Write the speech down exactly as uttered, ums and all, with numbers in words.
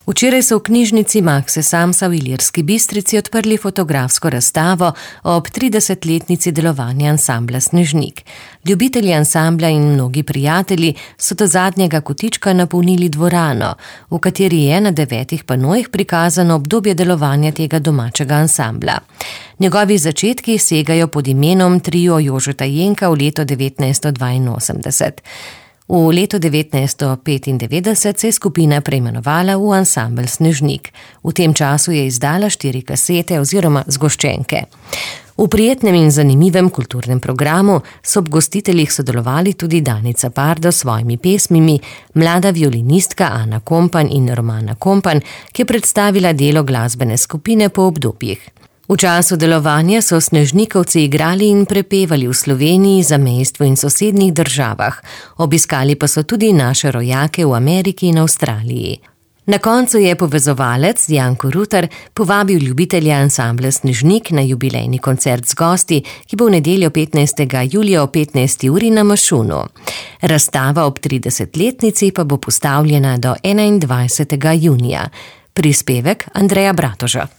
Včeraj so v knjižnici Makse Samsa v Ilirski Bistrici odprli fotografsko razstavo ob tridesetletnici delovanja ansambla Snežnik. Ljubitelji ansambla in mnogi prijatelji so do zadnjega kotička napolnili dvorano, v kateri je na devetih panojih prikazano obdobje delovanja tega domačega ansambla. Njegovi začetki segajo pod imenom Trio Jožeta Jenka v leto devetnajststo dvainosemdeset. V letu devetnajststo petindevetdeset se je skupina preimenovala v ansambel Snežnik. V tem času je izdala štiri kasete oziroma zgoščenke. V prijetnem in zanimivem kulturnem programu so ob gostiteljih sodelovali tudi Danica Pardo s svojimi pesmimi, mlada violinistka Ana Kompan in Romana Kompan, ki je predstavila delo glasbene skupine po obdobjih. V času delovanja so snežnikovci igrali in prepevali v Sloveniji, zamejstvu in sosednjih državah. Obiskali pa so tudi naše rojake v Ameriki in Avstraliji. Na koncu je povezovalec Janko Rutar povabil ljubitelje ansambla Snežnik na jubilejni koncert z gosti, ki bo v nedeljo petnajstega julija ob petnajsti uri na Mašunu. Razstava ob tridesetletnici pa bo postavljena do enaindvajsetega junija. Prispevek Andreja Bratoža.